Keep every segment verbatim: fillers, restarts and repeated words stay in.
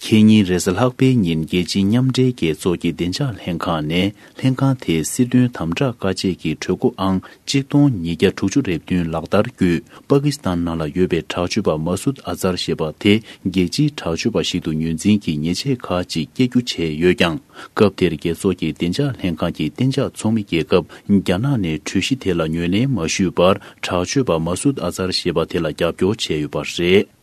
ཁེ་ཉིན་རེས་གཟའ་ལྷག་པའི་ཉིན་རྒྱལ་སྤྱིའི་མཉམ་འབྲེལ་རྒྱལ་ཚོགས་ཀྱི་བདེ་འཇགས་ལྷན་ཁང་ནས་ལྷན་ཁང་དེའི་སྲིད་དོན་དམ་དྲག་བཀའ་ཆད་ཀྱི་གྲོས་འགོ་ཨང་གཅིག་སྟོང་ཉིས་བརྒྱ་དྲུག་ཅུ་རེ་བདུན་ལག་བསྟར་བརྒྱུད། པ་ཀི་སི་ཐན་ནང་ལ་ཡོད་པའི་དྲག་སྤྱོད་པ་མ་སུད་ཨ་ཛར་ཞེས་པ་དེ་རྒྱལ་སྤྱིའི་དྲག་སྤྱོད་པ་ཞིག་ཏུ་ངོས་འཛིན་གྱིས་ཉེས་ཆད་ཁག་ཅིག་བཀལ་རྒྱུ་བྱས་ཡོད་ཀྱང་། སྐབས་དེར་རྒྱལ་ཚོགས་ཀྱི་བདེ་འཇགས་ལྷན་ཁང་གི་གཏན་འཇགས་ཚོགས་མི་རྒྱལ་ཁབ་རྒྱ་ནག་ནས་གྲོས་གཞི་དེ་ལ་ངོས་ལེན་མ་ཞུས་པར། དྲག་སྤྱོད་པ་མ་སུད་ཨ་ཛར་ཞེས་པ་དེ་ལ་རྒྱབ་སྐྱོར་བྱས་ཡོད་པ་རེད།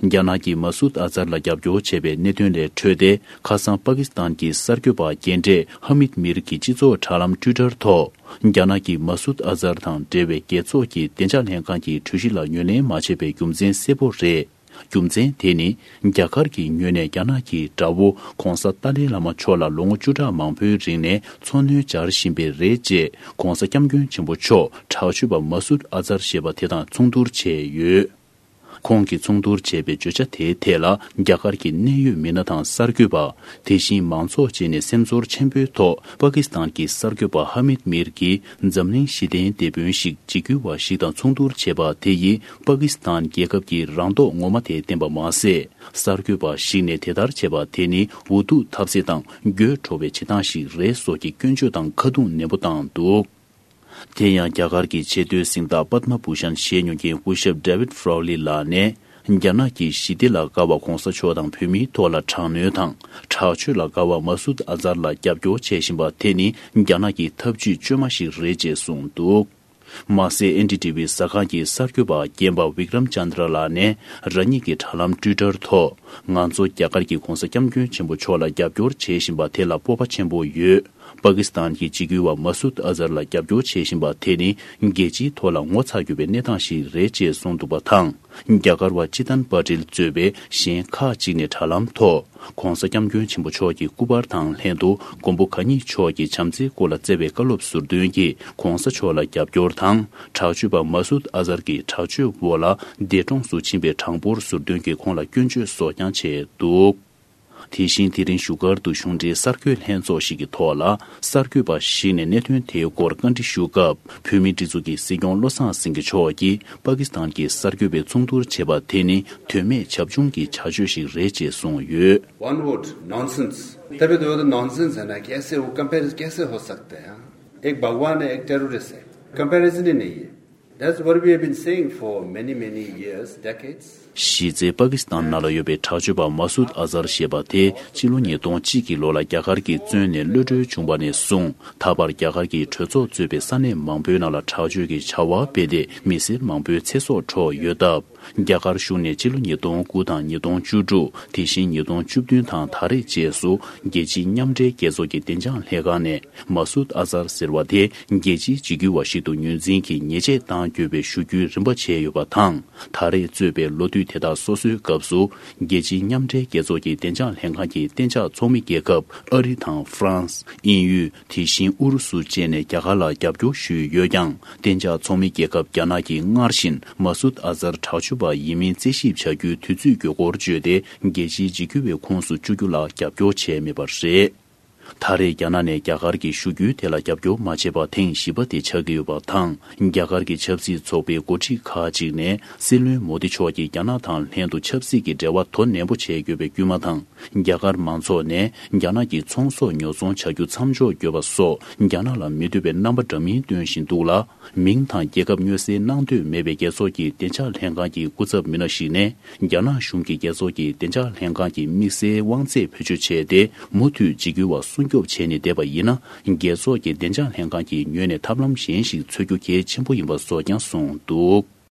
རྒྱ་ནག་གིས་མ་སུད་ཨ་ཛར་ལ་རྒྱབ་སྐྱོར་བྱས་པའི་གནད་དོན་ལས་འཕྲོས་ཏེ། ཁ་སང་པ་ཀི་སི་ཐན་གྱི་གསར་འགོད་པ་རྒན་གྲས་ཧ་མིད་མིར་གྱི་སྤྱི་ཚོགས་དྲ་ལམ་ཊུའི་ཊར་ཐོག་རྒྱ་ནག་གིས་མ་སུད་ཨ་ཛར་དང་འབྲེལ་བའི་རྒྱལ་ཚོགས་ཀྱི་བདེ་འཇགས་ལྷན་ཁང་གི་གྲོས་གཞི་ལ་ངོས་ལེན་མ་བྱས་པའི་རྒྱུ་མཚན་གསལ་པོ་རེད། རྒྱུ་མཚན་དེ་ནི། རྒྱ་གར་གྱི་ངོས་ནས་རྒྱ་ནག་གི་དགྲ་བོ་༧གོང་ས་ཏཱ་ལའི་བླ་མ་མཆོག་ལ་ལོ་ངོ་བཅུ་ཕྲག་མང་པོའི་རིང་ནས་འཚོ་སྣོན་སྦྱར་བཞིན་པས་རེད་ཅེས་༧གོང་ས་༧སྐྱབས་མགོན་ཆེན་པོ་མཆོག་དྲག་སྤྱོད་པ་མ་སུད་ཨ་ཛར་ཞེས་པ་དེ་དང་མཚུངས་བསྡུར་བྱས་ཡོད། ཁོང་གིས་མཚུངས་བསྡུར་བྱས་པའི་བརྗོད་བྱ་དེའི་ཐད་ལ། རྒྱ་གར་གྱི་གནད་ཡོད་མི་སྣ་དང་གསར་འགོད་པ། དེ་བཞིན་མང་ཚོགས་བཅས་ནས་སེམས་ཚོར་ཆེན་པོའི་ཐོག་པ་ཀི་སི་ཐན་གྱི་གསར་འགོད་པ་ཧ་མིད་མིར་གྱིས་འཛམ་གླིང་ཞི་བདེའི་དེད་དཔོན་ཞིག་འཇིགས་སྐུལ་བ་ཞིག་དང་མཚུངས་བསྡུར་བྱས་པ་དེ་ཡིས་པ་ཀི་སི་ཐན་རྒྱལ་ཁབ་ཀྱི་རང་མདོག་ངོ་མ་དེ་བསྟན་པ་མ་ཟད། གསར་འགོད་པ་ཞིག་ནས་དེ་ལྟར་བྱས་པ་དེ་ནི་འུ་ཐུག་ཐབས་ཟད་དང་འགྱོད་བྲོ་བའི་བྱེད་སྟངས་ཤིག་རེད་སོགས་ཀྱི་སྐྱོན་བརྗོད་དང་ཁ་རྡུང་ནན་པོ་བཏང་འདུག་དེ་ཡང་རྒྱ་གར་གྱི་ཆེས་མཐོའི་གཟེངས་རྟགས་པདྨ་བྷུ་ཤན་བཞེས་མྱོང་མཁན་སྐུ་ཞབས་David Foley ལགས་ནས། རྒྱ་ནག་གིས་ཞི་བདེ་ལ་དགའ་བ་༧གོང་ས་མཆོག་དང་བོད་མིའི་ཐོག་ལ་དྲག་གནོན་དང་། དྲག་སྤྱོད་ལ་དགའ་བ་མ་སུད་ཨ་ཛར་ལ་རྒྱབ་སྐྱོར་བྱེད་བཞིན་པ་དེ་ནི་རྒྱ་ནག་གི་ཐབས་ཇུས་བཅོས་མ་ཞིག་རེད་ཅེས་གསུངས་འདུག་མ་ཟད། ཨེན་ཌི་ཊི་ཝི་གསར་ཁང་གི་གསར་འགོད་པ་རྒན་པ་Vikram Chandra ལགས་ནས་རང་ཉིད་ཀྱི་དྲ་ལམ་ཊུའི་ཊར་ཐོག་ང་ཚོ་རྒྱ་གར་གྱི་༧གོང་ས་༧སྐྱབས་མགོན་ཆེན་པོ་མཆོག་ལ་རྒྱབ་སྐྱོར་བྱེད་བཞིན་པ་དེ་ལ་སྤོབས་པ་ཆེན་པོ་ཡོད། པ་ཀི་སི་ཐན་གྱི་འཇིགས་སྐུལ་བ་མ་སུད་ཨ་ཛར་ལ་རྒྱབ་སྐྱོར་བྱེད་བཞིན་པ་དེ་ནི་རྒྱལ་སྤྱིའི་ཐོག་ལ་ངོ་ཚ་རྒྱུ་བའི་གནས་སྟངས་ཤིག་རེད་ཅེས་གསུངས་འདུག་པ་དང་། རྒྱ་གར་བ་ཅི་ཏན་པ་ཏིལ་གཙོས་པའི་གཞན་ཁག་ཅིག་ནས་དྲ་ལམ་ཐོག ༧གོང་ས་༧སྐྱབས་མགོན་ཆེན་པོ་མཆོག་གི་སྐུ་པར་དང་ལྷན་དུ་མགོན་པོ་གང་ཉིད་མཆོག་གི་བྱམས་བརྩེའི་སྐོར་ལ་བསྩལ་བའི་བཀའ་སློབ་ཟུར་འདོན་གྱིས་༧གོང་ས་མཆོག་ལ་རྒྱབ་སྐྱོར་དང་། དྲག་སྤྱོད་པ་མ་སུད་ཨ་ཛར་གྱི་དྲག་སྤྱོད་འོག་ལ་འདས་གྲོངས་སུ་ཕྱིན་པའི་གྲངས་འབོར་ཟུར་འདོན་གྱིས་ཁོང་ལ་སྐྱོན་བརྗོད་སོགས་ཀྱང་བྱས་འདུག་དེ་བཞིན་དེ་རིང་བཞུགས་སྒར་དུ་གཞུང་འབྲེལ་གསར་འགོད་ལྷན་ཚོགས་ཤིག་གི་ཐོག་ལ། གསར་འགོད་པ་ཞིག་ནས་གནད་དོན་དེའི་སྐོར་བཀའ་འདྲི་ཞུ་སྐབས། བོད་མིའི་སྒྲིག་འཛུགས་ཀྱི་སྲིད་སྐྱོང་བློ་བཟང་སེང་གེ་མཆོག་གིས་པ་ཀི་སི་ཐན་གྱི་གསར་འགོད་པའི་མཚུངས་བསྡུར་བྱས་པ་དེ་ནི་དོན་མེད་བྱབ་ཆུང་གི་བྱ་སྤྱོད་ཞིག་རེད་ཅེས་གསུངས་ཡོད། One word, nonsense. तभी तो, तो नॉनसेंस है ना, कैसे वो कंपेयर कैसे हो सकते हैं? एक भगवान है, एक टेररिस्ट है, कंपैरिजन ही नहीं है। That's what we have been saying for many, many years, decades. གཞི་རྩའི་པ་ཀི་སི་ཐན་ནང་ལ་ཡོད་པའི་དྲག་སྤྱོད་པ་མ་སུད་ཨ་ཛར་ཞེས་པ་དེ་ཕྱི་ལོ་ཉིས་སྟོང་གཅིག་གི་ལོ་ལ་རྒྱ་གར་གྱིས་བཙོན་ནས་གློད་གྲོལ་བྱུང་བ་ནས་བཟུང་ད་བར་རྒྱ་གར་གྱི་གྲོས་ཚོགས་གཙོས་པའི་ས་གནས་མང་པོའི་ནང་ལ་དྲག་སྤྱོད་ཀྱི་བྱ་བ་སྤེལ་ཏེ་མི་སེར་མང་པོའི་ཚེ་སྲོག་འཕྲོག་ཡོད་སྟབས། རྒྱ་གར་གཞུང་ནས་ཕྱི་ལོ་ཉིས་སྟོང་དགུ་དང་ཉིས་སྟོང་བཅུ་དྲུག་དེ་བཞིན་ཉིས་སྟོང་བཅུ་བདུན་དང་ད་རེས་བཅས་སུ་རྒྱལ་སྤྱིའི་མཉམ་འབྲེལ་རྒྱལ་ཚོགས་ཀྱི་བདེ་འཇགས་ལྷན་ཁང་ནས། མ་སུད་ཨ་ཛར་ཟེར་བ་དེ་རྒྱལ་སྤྱིའི་འཇིགས་སྐུལ་བ་ཞིག་ཏུ་ངོས་འཛིན་གྱིས་ཉེས་ཆད་གཏང་དགོས་པའི་ཞུ་རྒྱུའི་རིམ་པ་བྱས་ཡོད་པ་དང་། ད་རེས་གཙོས་པའི་ལོ་དུས་དེ་དག་སོ་སོའི་སྐབས་སུ། རྒྱལ་སྤྱིའི་མཉམ་འབྲེལ་རྒྱལ་ཚོགས་ཀྱི་བདེ་འཇགས་ལྷན་ཁང་གི་གཏན་འཇགས་ཚོགས་མི་རྒྱལ་ཁབ་ཨ་རི་དང་ཧྥ་རན་སི། དབྱིན་ཡུལ། དེ་བཞིན་ཨུ་རུ་སུ་བཅས་ནས་རྒྱ་གར་ལ་རྒྱབ་སྐྱོར་ཞུས་ཡོད་ཀྱང་། གཏན་འཇགས་ཚོགས་མི་རྒྱལ་ཁབ་རྒྱ་ནག་གིས་སྔར་བཞིན་མ་སུད་ཨ་ཛར་དྲག་སྤྱོད་པ་ཡིན་མིན་རྩད་ཞིབ་བྱ་རྒྱུའི་དུས་ཚོད་འགོར་སྐྱོད་དེ། རྒྱལ་སྤྱིའི་འཇིགས་སྐུལ་བའི་ཁོངས་སུ་བཅུག་རྒྱུ་ལ་རྒྱབ་སྐྱོར་བྱས་མེད་པ་རེད། ད་རེས་རྒྱ་ནག་ནས་རྒྱ་གར་གྱི་ཞུ་རྒྱུའི་ཐད་ལ་རྒྱབ་སྐྱོར་མ་བྱས་པ་ཐེངས་བཞི་པ་དེ་ཆགས་ཀྱི་ཡོད་པ་དང་། རྒྱ་གར་གྱི་ཆབ་སྲིད་ཚོགས་པའི་འགོ་ཁྲིད་ཁག་ཅིག་ནས། སྲིད་བློན་མོ་དི་མཆོག་གིས་རྒྱ་ནག་དང་ལྷན་དུ་ཆབ་སྲིད་ཀྱི་འབྲེལ་བ་དོ་ནན་པོ་བྱེད་དགོས་པའི་སྐུལ་མ་དང་། རྒྱ་གར་མང་ཚོགས་ནས་རྒྱ་ནག་གི་ཚོང་ཟོག་ཉོ་ཚོང་བྱ་རྒྱུ་མཚམས་འཇོག་དགོས་པ་སོགས། རྒྱ་ནག་ལ་མི་འདོད་པའི་རྣམ་པ་འདྲ་མིན་སྟོན་བཞིན་འདུག་ལ། མིང་དང་རྒྱལ་ཁབ་སྨྱོ་བསྲེ་གནང་འདོད་མེད་པའི་རྒྱལ་ཚོགས་ཀྱི་བདེ་འཇགས་ལྷན་ཁང་གི་སྐུ་ཚབ་མི་སྣ་ཞིག་ནས། རྒྱ་ནག་གཞུང་གིས་རྒྱལ་ཚོགས་ཀྱི་བདེ་འཇགས་ལྷན་ཁང་གི་དམིགས་བསལ་དབང་ཚད་བེད་སྤྱོད་བྱས་ཏེ། མུ་མཐུད་འཇིགས་སྐུལ་བ་སྲུང་སྐྱོབ་བྱས་ནས་བསྡད་པ་ཡིན་ན། རྒྱལ་ཚོགས་ཀྱི་བདེ་འཇགས་ལྷན་ཁང་གི་ངོས་ནས་ཐབས་ལམ་གཞན་ཞིག་འཚོལ་རྒྱུ་གལ་ཆེན་པོ་ཡིན་པ་སོགས་ཀྱང་གསུངས་འདུག